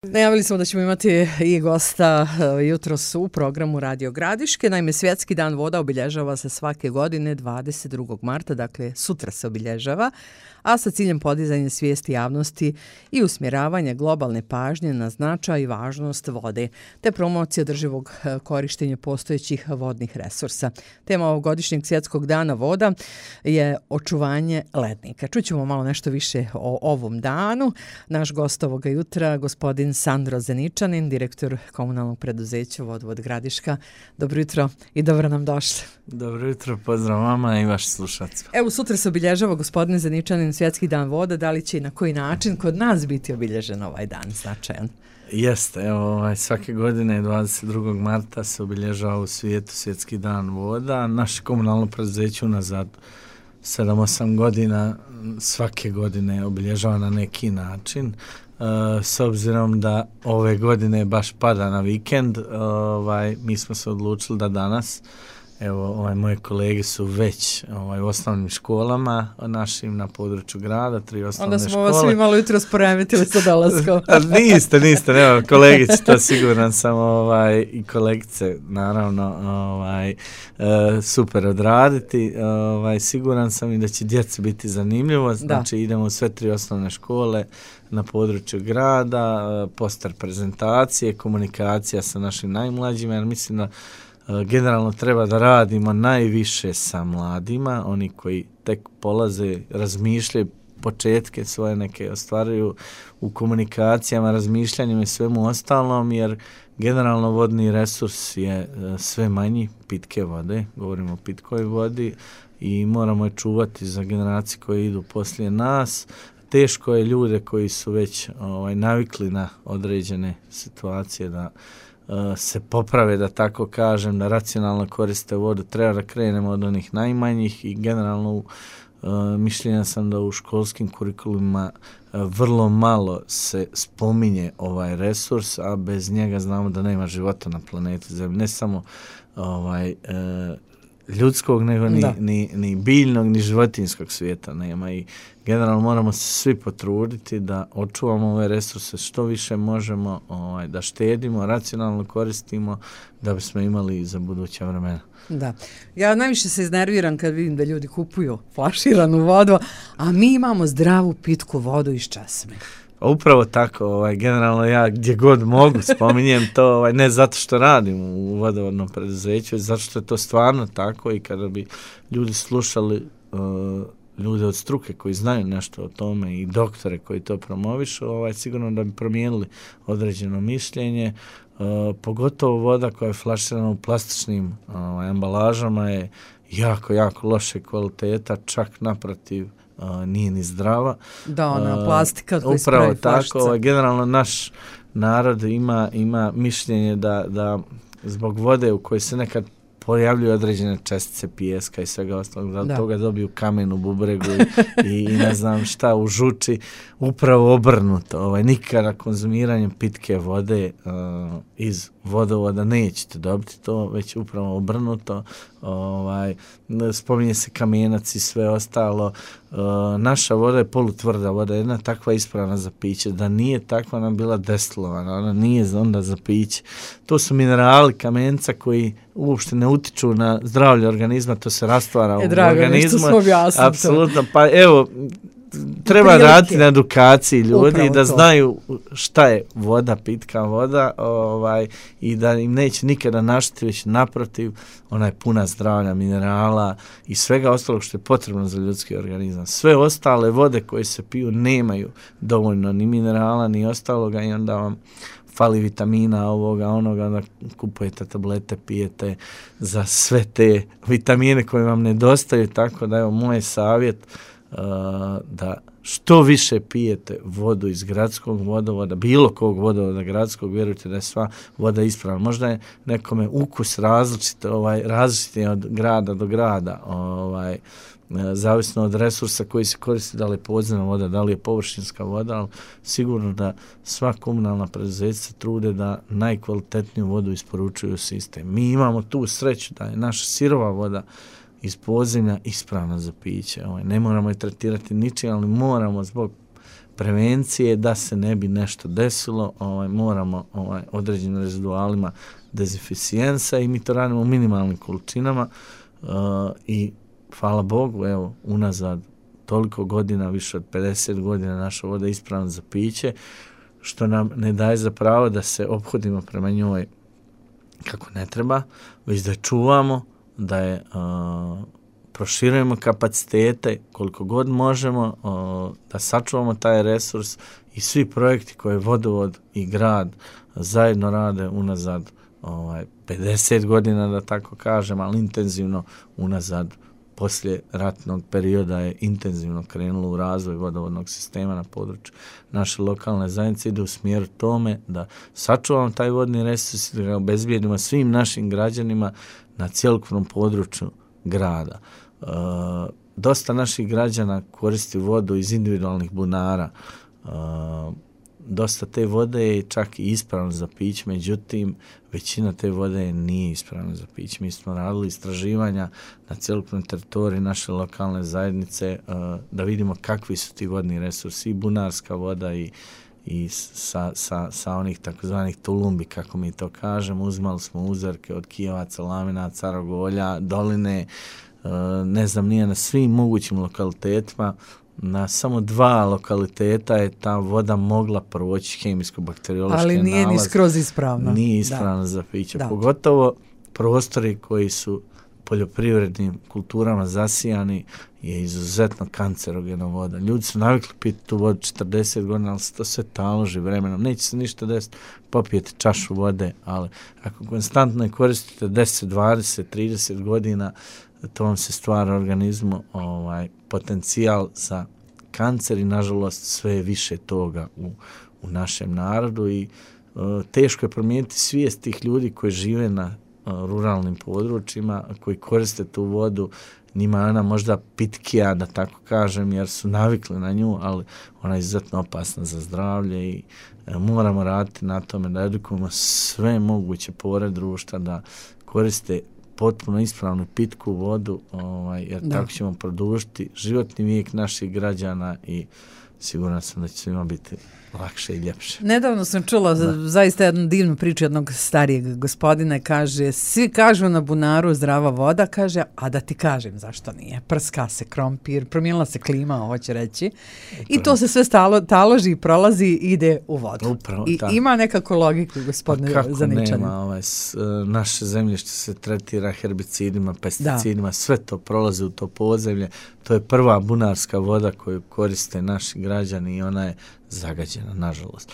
Najavili smo da ćemo imati i gosta jutros u programu Radio Gradiške. Naime, Svjetski dan voda obilježava se svake godine 22. marta, dakle sutra se obilježava, a sa ciljem podizanja svijesti javnosti i usmjeravanja globalne pažnje na značaj i važnost vode, te promocija održivog korištenja postojećih vodnih resursa. Tema ovogodišnjeg Svjetskog dana voda je očuvanje lednika. Čućemo malo nešto više o ovom danu. Naš gost ovoga jutra, gospodin Sandro Zeničanin, direktor komunalnog preduzeća Vodovod Gradiška. Dobro jutro i dobro nam došli. Dobro jutro, pozdrav vama i vaši slušalci. Evo, sutra se obilježava, gospodine Zeničanin, Svjetski dan voda. Da li će i na koji način kod nas biti obilježen ovaj dan značajan? Jeste, evo, svake godine 22. marta se obilježava u svijetu Svjetski dan voda. Naše komunalno preduzeće unazad 7-8 godina svake godine obilježava na neki način. S obzirom da ove godine baš pada na vikend, mi smo se odlučili da danas, evo, moje kolege su već u osnovnim školama našim na području grada, 3 osnovne škole. Onda smo vas svi malo jutro sporemetili sa dolaskom. niste, nema, kolegice, to siguran sam, i kolegice, naravno, super odraditi. Siguran sam i da će djeci biti zanimljivo, znači idemo u sve 3 osnovne škole na području grada, poster prezentacije, komunikacija sa našim najmlađima, jer mislim da generalno treba da radimo najviše sa mladima, oni koji tek polaze, razmišljaju, početke svoje neke ostvaruju u komunikacijama, razmišljanjima i svemu ostalom, jer generalno vodni resurs je sve manji, pitke vode, govorimo o pitkoj vodi i moramo je čuvati za generacije koje idu poslije nas. Teško je ljude koji su već navikli na određene situacije da se poprave, da tako kažem, da racionalno koriste vodu. Treba da krenemo od onih najmanjih i generalno mišljenja sam da u školskim kurikulima vrlo malo se spominje ovaj resurs, a bez njega znamo da nema života na planeti Zemlji. Ne samo ljudskog, nego ni biljnog, ni životinjskog svijeta nema i generalno moramo se svi potruditi da očuvamo ove resurse što više možemo, da štedimo, racionalno koristimo da bismo imali za buduća vremena. Da. Ja najviše se iznerviram kad vidim da ljudi kupuju flaširanu vodu, a mi imamo zdravu pitku vodu iz česme. Upravo tako, generalno ja gdje god mogu spominjem to, ne zato što radim u vodovodnom preduzeću, zato što je to stvarno tako i kada bi ljudi slušali ljude od struke koji znaju nešto o tome i doktore koji to promovišu, sigurno da bi promijenili određeno mišljenje. Pogotovo voda koja je flaširana u plastičnim embalažama je jako, jako loše kvaliteta, čak naprotiv nije ni zdrava. Da, ona plastika od koje upravo spravi tako, generalno naš narod ima mišljenje da zbog vode u kojoj se nekad pojavljuju određene čestice pijeska i svega ostalog, da od toga dobiju kamen u bubregu i ne znam šta u žuči, upravo obrnuto. Nikada konzumiranjem pitke vode iz vodovoda nećete dobiti to, već upravo obrnuto. Spominje se kamenac i sve ostalo. Naša voda je polutvrda voda, jedna takva ispravna za piće. Da nije takva, nam bila destilovana, ona nije onda za piće. To su minerali kamenca koji uopšte ne utiču na zdravlje organizma, to se rastvara u organizmu. Apsolutno, pa evo, treba raditi na edukaciji ljudi da znaju šta je voda, pitka voda, i da im neće nikada naštetiti, već naprotiv, ona je puna zdravlja, minerala i svega ostalog što je potrebno za ljudski organizam. Sve ostale vode koje se piju nemaju dovoljno ni minerala, ni ostaloga i onda vam fali vitamina, ovoga, onoga, da kupujete tablete, pijete za sve te vitamine koje vam nedostaju, tako da evo moj savjet da što više pijete vodu iz gradskog vodovoda, bilo kog vodovoda gradskog, vjerujte da je sva voda ispravna. Možda je nekome ukus različit je od grada do grada, zavisno od resursa koji se koristi, da li je podzemna voda, da li je površinska voda, ali sigurno da sva komunalna preduzeća trude da najkvalitetniju vodu isporučuju u sistem. Mi imamo tu sreću da je naša sirova voda iz podzemlja ispravna za piće. Ne moramo je tretirati ničim, ali moramo zbog prevencije da se ne bi nešto desilo, moramo određenim rezidualima dezinficijensa i mi to radimo u minimalnim količinama i hvala Bogu, evo, unazad toliko godina, više od 50 godina naša voda je ispravna za piće, što nam ne daje za pravo da se ophodimo prema njoj kako ne treba, već da je čuvamo, da je proširujemo kapacitete koliko god možemo, da sačuvamo taj resurs i svi projekti koje vodovod i grad zajedno rade unazad 50 godina, da tako kažem, ali intenzivno unazad poslije ratnog perioda je intenzivno krenulo u razvoj vodovodnog sistema na području naše lokalne zajednice, ide u smjeru tome da sačuvamo taj vodni resurs i da ga obezbijedimo svim našim građanima na cjelokupnom području grada. Dosta naših građana koristi vodu iz individualnih bunara. Dosta te vode je čak i ispravno za piće, međutim, većina te vode nije ispravna za piće. Mi smo radili istraživanja na cjelokupnoj teritoriji naše lokalne zajednice da vidimo kakvi su ti vodni resursi, i bunarska voda i sa onih takozvanih tulumbi, kako mi to kažemo. Uzmali smo uzorke od Kijevaca, Lamina, Carogolja, Doline, ne znam, nije na svim mogućim lokalitetima. Na samo 2 lokaliteta je ta voda mogla proći hemijsko-bakteriološke nalaze. Ali nije ni skroz ispravna. Nije ispravna za piće. Da. Pogotovo prostori koji su poljoprivrednim kulturama zasijani je izuzetno kancerogena voda. Ljudi su navikli piti tu vodu 40 godina, ali se to sve taloži vremenom. Neće se ništa desiti, popijete čašu vode, ali ako konstantno je koristite 10, 20, 30 godina, to vam se stvara organizmu potencijal za kancer i nažalost sve je više toga u našem narodu i teško je promijeniti svijest tih ljudi koji žive na ruralnim područjima, koji koriste tu vodu. Njima je ona možda pitkija, da tako kažem, jer su navikli na nju, ali ona je izuzetno opasna za zdravlje i moramo raditi na tome da edukujemo sve moguće pore društva da koriste potpuno ispravnu pitku vodu, jer tako ćemo produžiti životni vijek naših građana i siguran sam da će svima biti lakše i ljepše. Nedavno sam čula zaista jednu divnu priču jednog starijeg gospodina, kaže, svi kažu na bunaru zdrava voda, kaže, a da ti kažem zašto nije. Prska se krompir, promijenila se klima, hoće reći. Upravo. I to se sve taloži, prolazi i ide u vodu. Upravo, i ima nekako logiku, gospodine Zaničanin. Kako nema, naše zemljište se tretira herbicidima, pesticidima, sve to prolazi u to podzemlje. To je prva bunarska voda koju koriste naši građani i ona je zagađena, nažalost.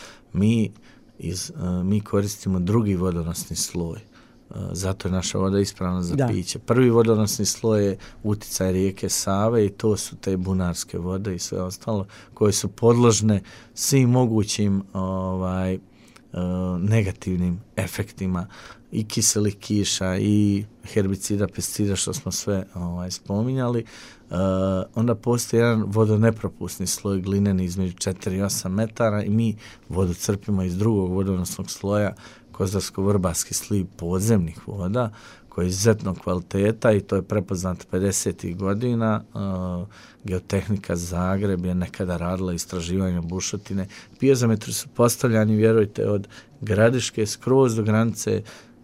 Mi koristimo drugi vodonosni sloj. Zato je naša voda ispravna za piće. Prvi vodonosni sloj je uticaj rijeke Save i to su te bunarske vode i sve ostalo koje su podložne svim mogućim negativnim efektima i kiselih kiša i herbicida, pesticida, što smo sve spominjali. Onda postoji jedan vodonepropusni sloj glineni između 4 i 8 metara i mi vodu crpimo iz drugog vodonosnog sloja, kozarsko-vrbarski sliv podzemnih voda, koji je izuzetno kvaliteta i to je prepoznato 50. godina. Geotehnika Zagreb je nekada radila istraživanje bušotine. Piezometri su postavljani, vjerujte, od Gradiške skroz do granice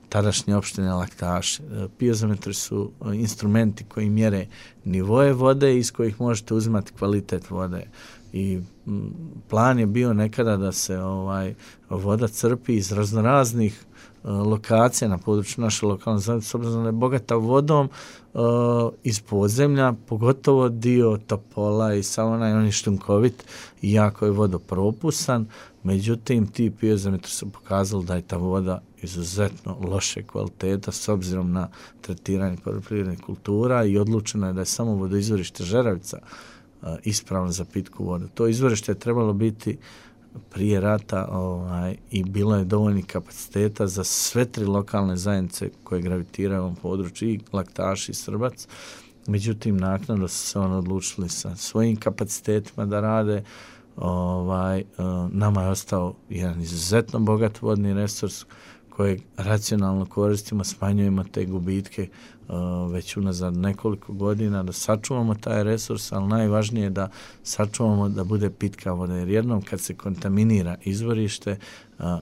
tadašnje opštine Laktaši. Piezometri su instrumenti koji mjere nivoje vode iz kojih možete uzimati kvalitet vode. I plan je bio nekada da se voda crpi iz raznoraznih lokacija na području naše lokalne zajednice, s obzirom da je bogata vodom iz podzemlja, pogotovo dio Topola i Savona, on je šljunkovit i jako je vodopropusan. Međutim, ti piezometri su pokazali da je ta voda izuzetno loše kvaliteta s obzirom na tretiranje poljoprivrednih kultura i odlučeno je da je samo vodoizvorište Žeravica ispravno za pitku vodu. To izvorište je trebalo biti prije rata i bilo je dovoljnih kapaciteta za sve 3 lokalne zajednice koje gravitiraju u ovom području, i Laktaš i Srbac. Međutim, naknadno su se oni odlučili sa svojim kapacitetima da rade. Nama je ostao jedan izuzetno bogat vodni resurs kojeg racionalno koristimo, smanjujemo te gubitke već unazad nekoliko godina, da sačuvamo taj resurs, ali najvažnije je da sačuvamo da bude pitka voda, jer jednom kad se kontaminira izvorište,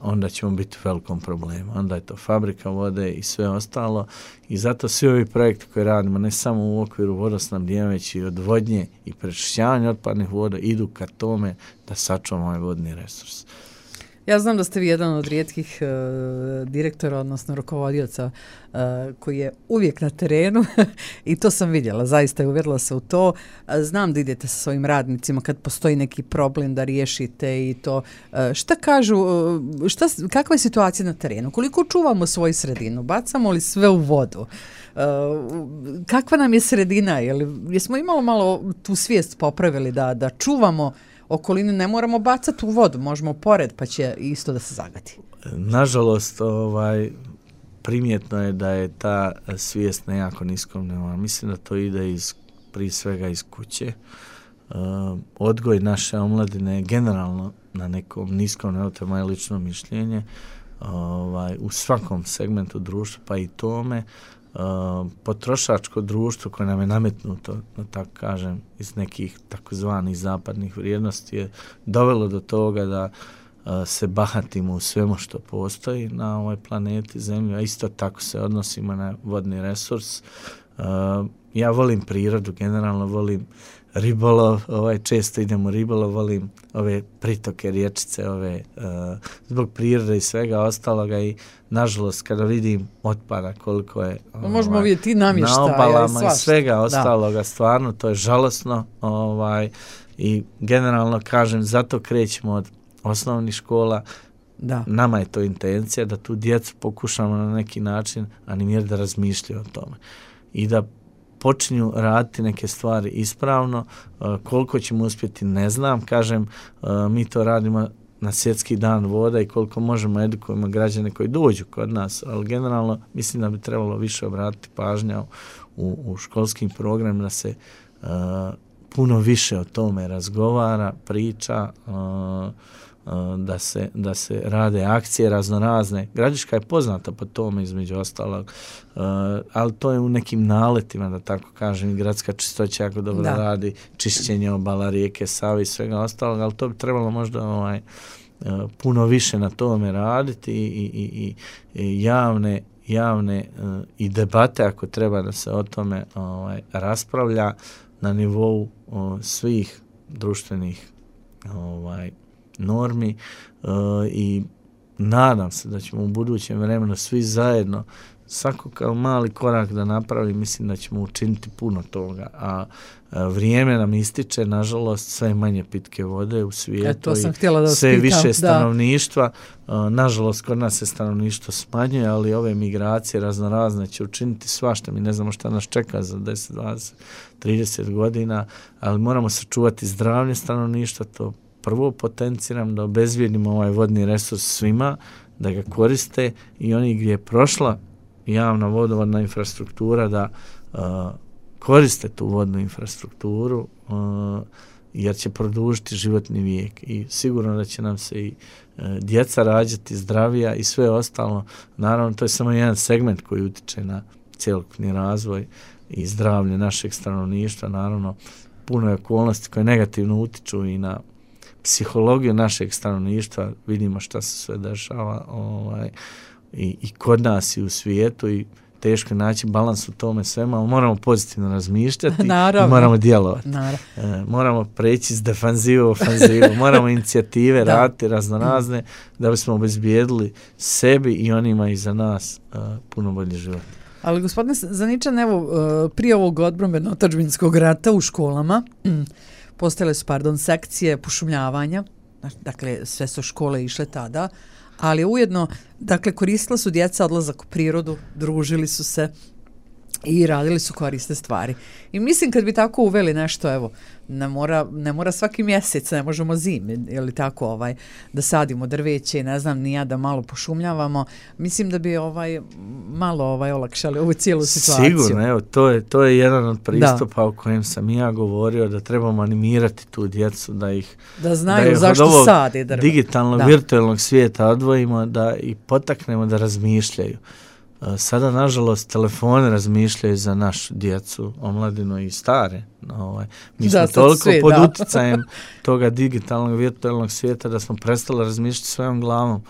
onda ćemo biti u velikom problemu. Onda je to fabrika vode i sve ostalo i zato svi ovi projekti koje radimo, ne samo u okviru vodosnabdijevanja, već i odvodnje i prečišćavanja otpadnih voda, idu ka tome da sačuvamo ovaj vodni resurs. Ja znam da ste vi jedan od rijetkih direktora, odnosno rukovodioca koji je uvijek na terenu i to sam vidjela, zaista je uvjerila se u to. Znam da idete sa svojim radnicima kad postoji neki problem da riješite i to. Šta kažu, kakva je situacija na terenu? Koliko čuvamo svoju sredinu? Bacamo li sve u vodu? Kakva nam je sredina? Jesmo imalo malo tu svijest popravili da čuvamo okolinu, ne moramo bacati u vodu, možemo pored pa će isto da se zagati. Nažalost, primjetno je da je ta svijest na jako niskom nivou. Mislim da to ide prije svega iz kuće. Odgoj naše omladine je generalno na nekom niskom nivou, to je moje lično mišljenje, u svakom segmentu društva, pa i tome. Potrošačko društvo koje nam je nametnuto, da tako kažem, iz nekih takozvanih zapadnih vrijednosti je dovelo do toga da se bahatimo u svemu što postoji na ovoj planeti Zemlji, a isto tako se odnosimo na vodni resurs. Ja volim prirodu, generalno volim ribolov, često idem u ribolov, volim ove pritoke, riječice, zbog prirode i svega ostaloga i nažalost kada vidim otpada koliko je možemo vidjeti namještaja na obalama i svega ostaloga, stvarno to je žalosno i generalno kažem, zato krećemo od osnovnih škola. Da. Nama je to intencija da tu djecu pokušamo na neki način animirati da razmišljaju o tome i da počinju raditi neke stvari ispravno. Koliko ćemo uspjeti ne znam, kažem, mi to radimo na Svjetski dan voda i koliko možemo edukujemo građane koji dođu kod nas, ali generalno mislim da bi trebalo više obratiti pažnja u školskim programima da se puno više o tome razgovara, priča, da se rade akcije raznorazne. Gradiška je poznata po tome između ostalog, ali to je u nekim naletima, da tako kažem, i gradska čistoća jako dobro radi, čišćenje obala rijeke Save i svega ostalog, ali to bi trebalo možda puno više na tome raditi i javne i debate ako treba da se o tome raspravlja na nivou svih društvenih normi i nadam se da ćemo u budućem vremenu svi zajedno svako kao mali korak da napravi, mislim da ćemo učiniti puno toga, a vrijeme nam ističe, nažalost, sve manje pitke vode u svijetu i sve više stanovništva. Nažalost, kod nas se stanovništvo smanjuje, ali ove migracije raznorazne će učiniti svašta. Mi ne znamo šta nas čeka za 10, 20, 30 godina, ali moramo sačuvati zdravlje stanovništva, to prvo potenciram da obezbijedimo ovaj vodni resurs svima, da ga koriste i oni gdje je prošla javna vodovodna infrastruktura da koriste tu vodnu infrastrukturu jer će produžiti životni vijek i sigurno da će nam se i djeca rađati zdravija i sve ostalo. Naravno, to je samo jedan segment koji utiče na cjelokupni razvoj i zdravlje našeg stanovništva. Naravno, puno je okolnosti koje negativno utiču i na psihologiju našeg stanovništva. Vidimo šta se sve dešava i kod nas i u svijetu i teško naći balans u tome svema, ali moramo pozitivno razmišljati i moramo djelovati. Moramo preći s defanzivu u ofanzivu, moramo inicijative raditi raznorazne da bismo obezbijedili sebi i onima iza nas puno bolji život. Ali gospodine Zaničan, evo, prije ovog odbrambeno-otadžbinskog rata u školama postojale su, sekcije pošumljavanja, dakle sve su škole išle tada, ali ujedno, dakle, koristila su djeca odlazak u prirodu, družili su se, i radili su korisne stvari. I mislim kad bi tako uveli nešto, evo, ne mora svaki mjesec, ne možemo zimi, ili tako, da sadimo drveće i ne znam ni ja, da malo pošumljavamo. Mislim da bi malo olakšali ovu cijelu situaciju. Sigurno, evo, to je jedan od pristupa o kojem sam ja govorio, da trebamo animirati tu djecu, da znaju zašto sade drva. Digitalnog, virtualnog svijeta odvojimo, da i potaknemo da razmišljaju. Sada, nažalost, telefone razmišljaju za našu djecu, omladinu i stare. Mi smo toliko pod uticajem toga digitalnog, virtualnog svijeta da smo prestali razmišljati svojom glavom.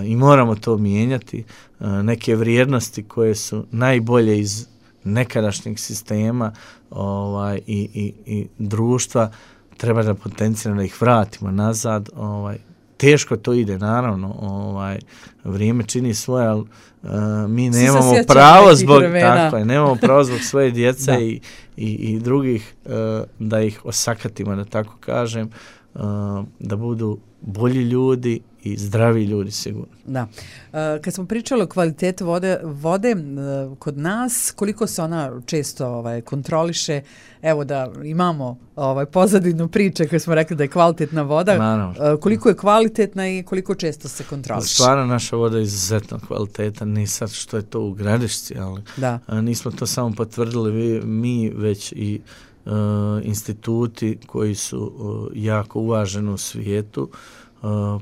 I moramo to mijenjati. Neke vrijednosti koje su najbolje iz nekadašnjeg sistema i društva, treba da potenciramo, da ih vratimo nazad. Teško to ide, naravno, vrijeme čini svoje, ali mi nemamo pravo zbog svoje djece i drugih da ih osakatimo, da tako kažem, da budu bolji ljudi i zdravi ljudi, sigurno. Da. Kad smo pričali o kvalitetu vode kod nas, koliko se ona često kontroliše, evo da imamo pozadinu priče koje smo rekli da je kvalitetna voda, naravno. Koliko je kvalitetna i koliko često se kontroliše? Stvarno naša voda je izuzetno kvaliteta, ni sad što je to u Gradišci, ali nismo to samo potvrdili mi, već i instituti koji su jako uvaženi u svijetu.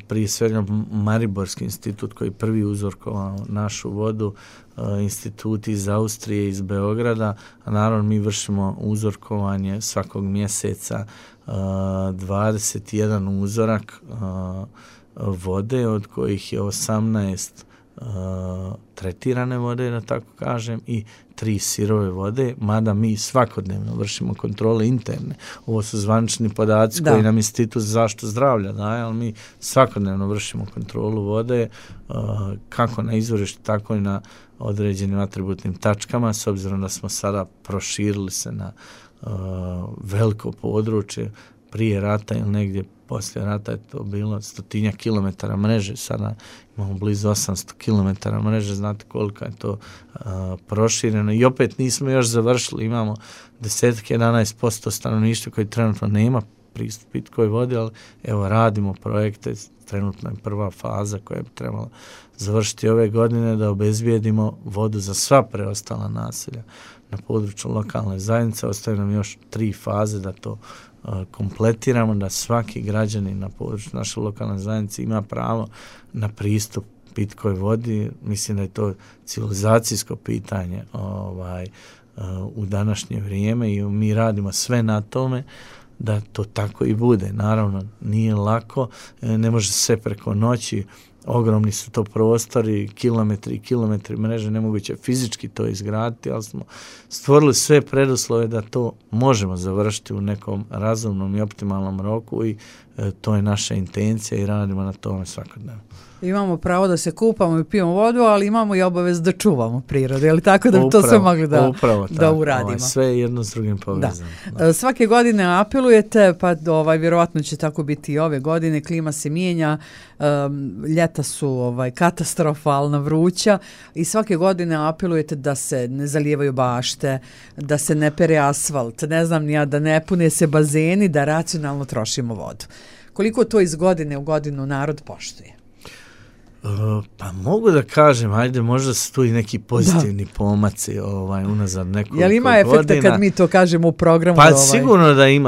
Prije svega Mariborski institut koji prvi uzorkovao našu vodu, instituti iz Austrije, iz Beograda, a naravno mi vršimo uzorkovanje svakog mjeseca, 21 uzorak vode, od kojih je 18 tretirane vode, da tako kažem, i 3 sirove vode, mada mi svakodnevno vršimo kontrole interne. Ovo su zvanični podaci koji nam Institut za zaštitu zdravlja daje, ali mi svakodnevno vršimo kontrolu vode, kako na izvorištu, tako i na određenim atributnim tačkama, s obzirom da smo sada proširili se na veliko područje. Prije rata ili negdje poslije rata je to bilo 100 kilometara mreže, sada imamo blizu 800 kilometara mreže, znate koliko je to prošireno i opet nismo još završili, imamo 10-11% stanovništva koji trenutno nema pristup pitkoj vodi, ali evo radimo projekte, trenutno je prva faza koja bi trebala završiti ove godine, da obezbijedimo vodu za sva preostala naselja na području lokalne zajednice. Ostaju nam još 3 faze da to kompletiramo, da svaki građanin na području naše lokalne zajednice ima pravo na pristup pitkoj vodi. Mislim da je to civilizacijsko pitanje u današnje vrijeme i mi radimo sve na tome da to tako i bude. Naravno, nije lako, ne može sve preko noći, ogromni su to prostori, kilometri i kilometri mreže, nemoguće fizički to izgraditi, ali smo stvorili sve preduslove da to možemo završiti u nekom razumnom i optimalnom roku i to je naša intencija i radimo na tome svakodnevno. Imamo pravo da se kupamo i pijemo vodu, ali imamo i obavezu da čuvamo prirodu, je li tako da bi to sve mogli da uradimo? Sve je jedno s drugim povezano. Svake godine apelujete, pa vjerojatno će tako biti i ove godine, klima se mijenja, ljeta su katastrofalna, vruća i svake godine apelujete da se ne zalijevaju bašte, da se ne pere asfalt, ne znam ni ja, da ne pune se bazeni, da racionalno trošimo vodu. Koliko to iz godine u godinu narod poštuje? Pa mogu da kažem, ajde, možda su tu i neki pozitivni pomaci unazad nekoliko godina. Jel ima efekta kad mi to kažemo u programu? Pa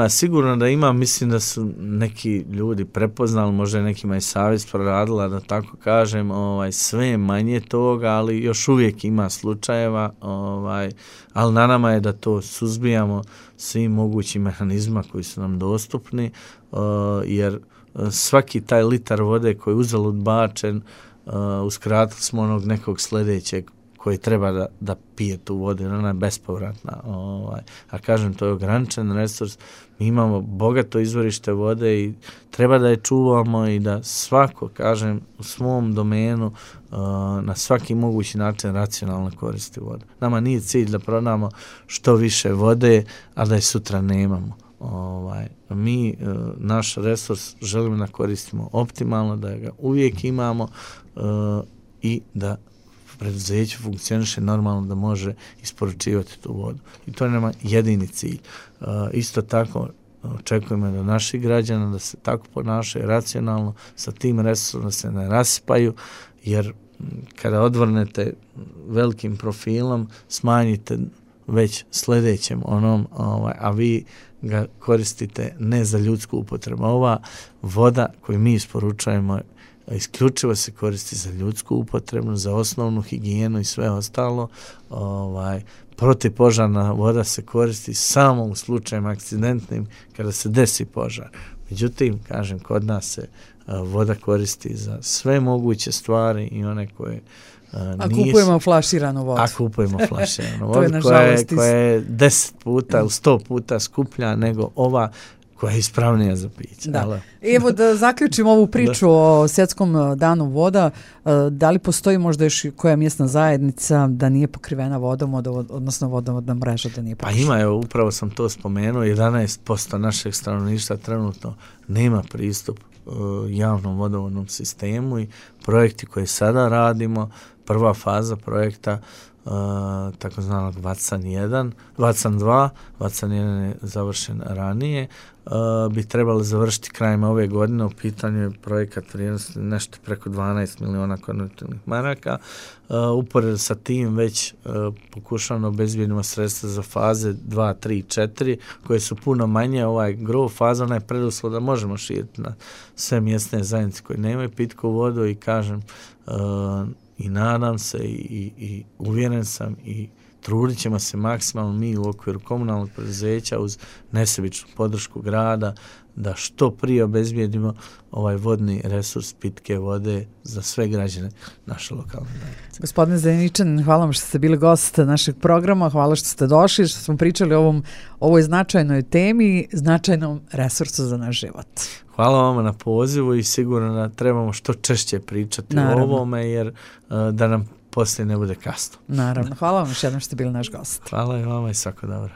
sigurno da ima, mislim da su neki ljudi prepoznali, možda je nekima i savjest proradila, da tako kažem, sve je manje toga, ali još uvijek ima slučajeva, ali na nama je da to suzbijamo svim mogućim mehanizmima koji su nam dostupni, jer svaki taj litar vode koji je uzalud bačen, uskratili smo onog nekog sljedećeg koji treba da pije tu vodu, ona je bespovratna. A kažem, to je ograničen resurs. Mi imamo bogato izvorište vode i treba da je čuvamo i da svako, kažem, u svom domenu na svaki mogući način racionalno koristi vodu. Nama nije cilj da prodamo što više vode, a da je sutra nemamo. Mi naš resurs želimo da koristimo optimalno, da ga uvijek imamo i da preduzeće funkcioniše normalno da može isporučivati tu vodu. I to je nama jedini cilj. Isto tako očekujemo da naših građana da se tako ponašaju racionalno, sa tim resursom da se ne raspaju, jer kada odvrnete velikim profilom, smanjite već sljedećem onom, a vi ga koristite ne za ljudsku upotrebu. Ova voda koju mi isporučujemo isključivo se koristi za ljudsku upotrebu, za osnovnu higijenu i sve ostalo. Protivpožarna voda se koristi samo u slučajima akcidentnim kada se desi požar. Međutim, kažem, kod nas se voda koristi za sve moguće stvari i one koje kupujemo flaširanu vodu. A kupujemo flaširanu vodu koja je 10 puta, 100 puta skuplja nego ova koja je ispravnija za piće. Da. Evo da zaključimo ovu priču o Svjetskom danu voda. Da li postoji možda još koja mjesna zajednica da nije pokrivena vodom, odnosno vodovodna mreža da nije pokrivena? Pa ima, evo, upravo sam to spomenuo, 11% našeg stanovništva trenutno nema pristup javnom vodovodnom sistemu i projekti koje sada radimo, prva faza projekta takozvanog Vacan 2, Vacan 1 je završen ranije, bi trebalo završiti krajem ove godine. U pitanju je projekat vrijednosti nešto preko 12 miliona konvertibilnih maraka. Uporedo sa tim već pokušavamo obezbijedimo sredstva za faze 2, 3, 4 koje su puno manje. Ovaj gro faza, onaj preduslov da možemo širiti na sve mjesne zajednice koje nemaju pitku vodu i kažem i nadam se i uvjeren sam i trudit ćemo se maksimalno mi u okviru komunalnog preduzeća uz nesebičnu podršku grada da što prije obezbijedimo ovaj vodni resurs pitke vode za sve građane naše lokalne zajednice. Gospodine Zeničan, hvala vam što ste bili gost našeg programa, hvala što ste došli, što smo pričali o ovoj značajnoj temi, značajnom resursu za naš život. Hvala vam na pozivu i sigurno da trebamo što češće pričati o ovome jer da nam poslije ne bude kasno. Naravno. Hvala vam još jednom što ste bili naš gost. Hvala i vama i svako dobro.